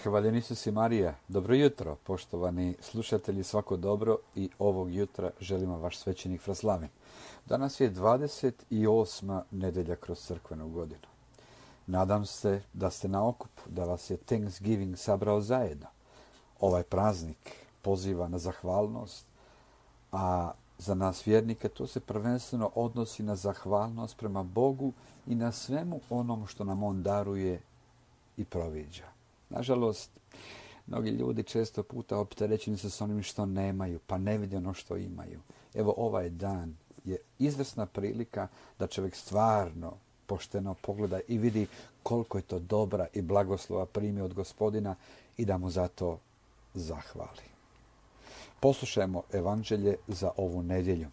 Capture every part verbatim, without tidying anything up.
Hvaljen Isus i Marija. Dobro jutro, poštovani slušatelji, svako dobro i ovog jutra želimo vaš svećenik Fraslavin. Danas je dvadeset osma nedelja kroz crkvenu godinu. Nadam se da ste na okupu, da vas je Thanksgiving sabrao zajedno. Ovaj praznik poziva na zahvalnost, a za nas vjernike to se prvenstveno odnosi na zahvalnost prema Bogu i na svemu onom što nam On daruje i proviđa. Nažalost, mnogi ljudi često puta opterećeni su s onim što nemaju, pa ne vide ono što imaju. Evo, ovaj dan je izvrsna prilika da čovjek stvarno pošteno pogleda i vidi koliko je to dobra i blagoslova primi od Gospodina i da mu za to zahvali. Poslušajmo evanđelje za ovu nedjelju.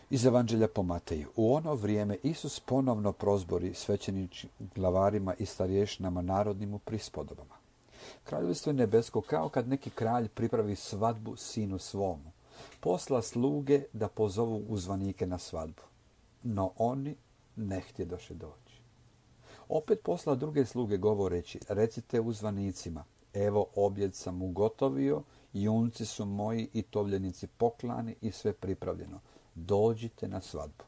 Iz evanđelja po Mateju. U ono vrijeme Isus ponovno prozbori svećeničkim glavarima i starješnama narodnim u prispodobama. Kraljevstvo je nebesko kao kad neki kralj pripravi svadbu sinu svomu. Posla sluge da pozovu uzvanike na svadbu. No oni ne htjedoše doći. Opet posla druge sluge govoreći, recite uzvanicima, evo objed sam ugotovio, junci su moji i tovljenici poklani i sve pripravljeno. Dođite na svadbu.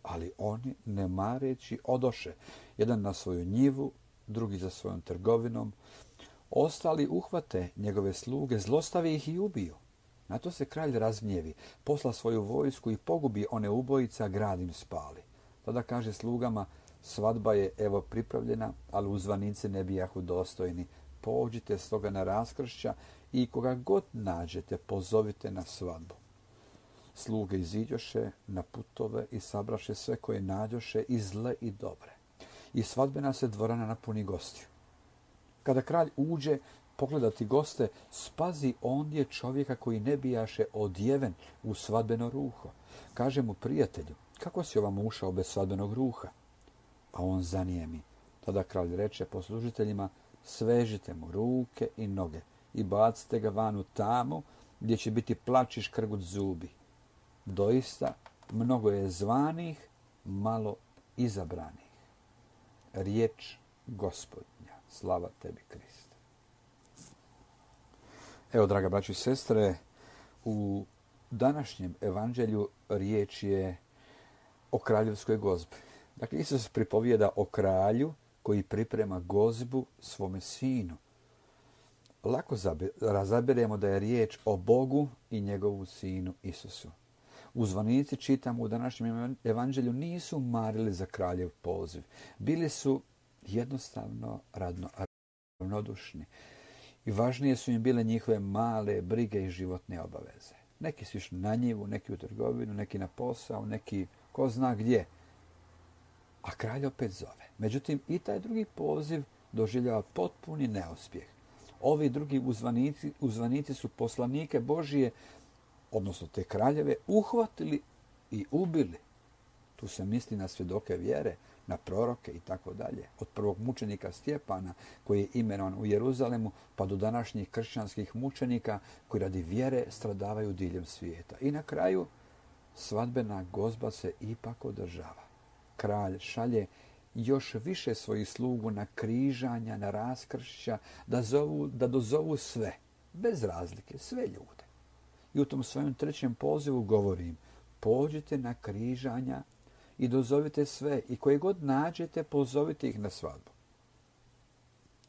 Ali oni, ne mareći, odoše, jedan na svoju njivu, drugi za svojom trgovinom. Ostali uhvate njegove sluge, zlostavi ih i ubiju. Na to se kralj razgnjevi, posla svoju vojsku i pogubi one ubojica, grad im spali. Tada kaže slugama, svadba je evo pripravljena, ali uzvanici ne bijahu dostojni. Pođite stoga na raskršća i koga god nađete, pozovite na svadbu. Sluge iziđoše na putove i sabraše sve koje nađoše, i zle i dobre. I svadbena se dvorana napuni gostiju. Kada kralj uđe pogledati goste, spazi ondje čovjeka koji ne bijaše odjeven u svadbeno ruho. Kaže mu, prijatelju, kako si ovamo ušao bez svadbenog ruha? A on zanijemi. Tada kralj reče poslužiteljima, svežite mu ruke i noge i bacite ga van u tamu gdje će biti plač i škrgut zubi. Doista, mnogo je zvanih, malo izabranih. Riječ Gospodnja. Slava tebi, Kriste. Evo, draga braćo i sestre, u današnjem evanđelju riječ je o kraljevskoj gozbi. Dakle, Isus pripovijeda o kralju koji priprema gozbu svome sinu. Lako razabiremo da je riječ o Bogu i njegovu sinu Isusu. Uzvanici, čitamo u današnjem evanđelju, nisu marili za kraljev poziv. Bili su jednostavno radno, ravnodušni. I važnije su im bile njihove male brige i životne obaveze. Neki su išli na njivu, neki u trgovinu, neki na posao, neki ko zna gdje. A kralj opet zove. Međutim, i taj drugi poziv doživljava potpuni neuspjeh. Ovi drugi uzvanici, uzvanici su poslanike Božije, odnosno te kraljeve, uhvatili i ubili. Tu se misli na svjedoke vjere, na proroke i tako dalje. Od prvog mučenika Stjepana, koji je imenovan u Jeruzalemu, pa do današnjih kršćanskih mučenika koji radi vjere stradavaju diljem svijeta. I na kraju, svadbena gozba se ipak održava. Kralj šalje još više svojih slugu na križanja, na raskršća, da, zovu, da dozovu sve, bez razlike, sve ljude. I u tom svojem trećem pozivu govorim, pođite na križanja i dozovite sve i koje god nađete, pozovite ih na svadbu.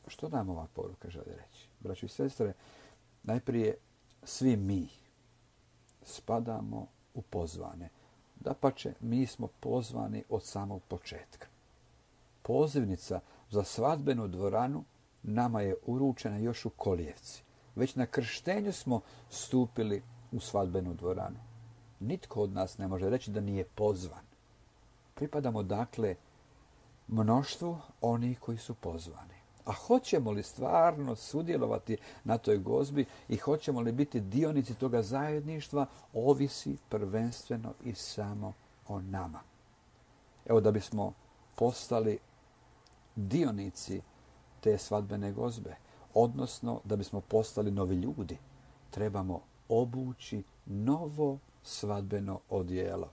Što nam ova poruka želi reći? Braćo i sestre, najprije svi mi spadamo u pozvane. Dapače, mi smo pozvani od samog početka. Pozivnica za svadbenu dvoranu nama je uručena još u kolijevci. Već na krštenju smo stupili u svadbenu dvoranu. Nitko od nas ne može reći da nije pozvan. Pripadamo dakle mnoštvu onih koji su pozvani. A hoćemo li stvarno sudjelovati na toj gozbi i hoćemo li biti dionici toga zajedništva, ovisi prvenstveno i samo o nama. Evo, da bismo postali dionici te svadbene gozbe, odnosno da bismo postali novi ljudi, trebamo obući novo svadbeno odijelo.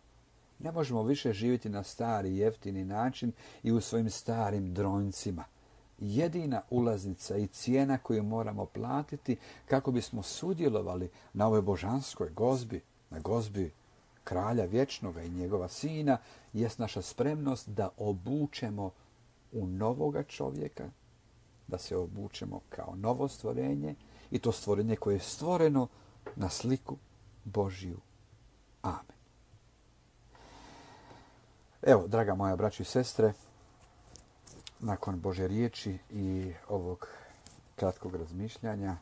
Ne možemo više živjeti na stari, jeftini način i u svojim starim dronjcima. jedina ulaznica i cijena koju moramo platiti kako bismo sudjelovali na ovoj božanskoj gozbi, na gozbi kralja vječnoga i njegova sina, jest naša spremnost da obučemo u novoga čovjeka, da se obučemo kao novo stvorenje i to stvorenje koje je stvoreno na sliku Božju. Amen. Evo, draga moja braćo i sestre, nakon Božje riječi i ovog kratkog razmišljanja,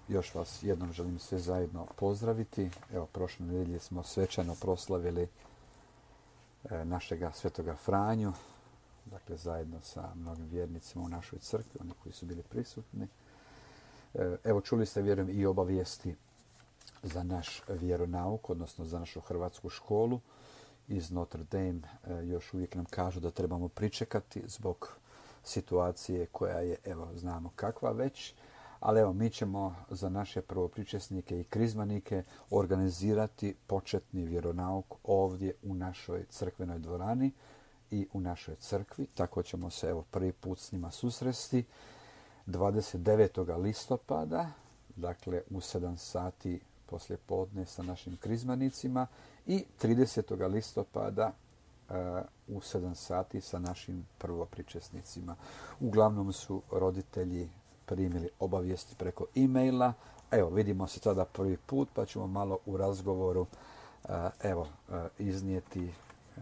još vas jednom želim sve zajedno pozdraviti. Evo, prošle nedelje smo svečano proslavili našega svetoga Franju, dakle zajedno sa mnogim vjernicima u našoj crkvi, oni koji su bili prisutni. Evo, čuli ste, vjerujem, i obavijesti za naš vjeronauk, odnosno za našu hrvatsku školu iz Notre Dame. Još uvijek nam kažu da trebamo pričekati zbog situacije koja je, evo, znamo kakva već, ali evo, mi ćemo za naše prvopričesnike i krizmanike organizirati početni vjeronauk ovdje u našoj crkvenoj dvorani i u našoj crkvi. Tako ćemo se, evo, prvi put s njima susresti dvadeset devetog listopada, dakle u sedam sati poslije podne sa našim krizmanicima i tridesetog listopada uh, u sedam sati sa našim prvopričesnicima. Uglavnom su roditelji primili obavijesti preko e-maila. Evo, vidimo se tada prvi put, pa ćemo malo u razgovoru uh, evo, uh, iznijeti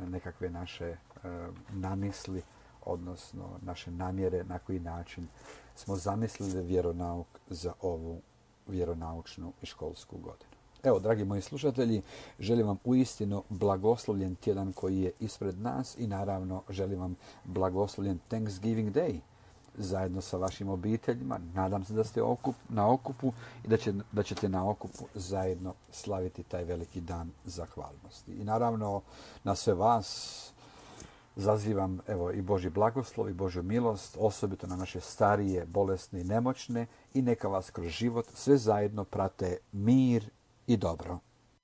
nekakve naše uh, namisli, odnosno naše namjere na koji način smo zamislili vjeronauk za ovu vjeronaučnu i školsku godinu. Evo, dragi moji slušatelji, želim vam uistinu blagoslovljen tjedan koji je ispred nas i naravno želim vam blagoslovljen Thanksgiving Day zajedno sa vašim obiteljima. Nadam se da ste okup, na okupu i da, će, da ćete na okupu zajedno slaviti taj veliki dan zahvalnosti. I naravno na sve vas zazivam, evo, i Božji blagoslov i Božju milost, osobito na naše starije, bolesne i nemoćne, i neka vas kroz život sve zajedno prate mir i dobro.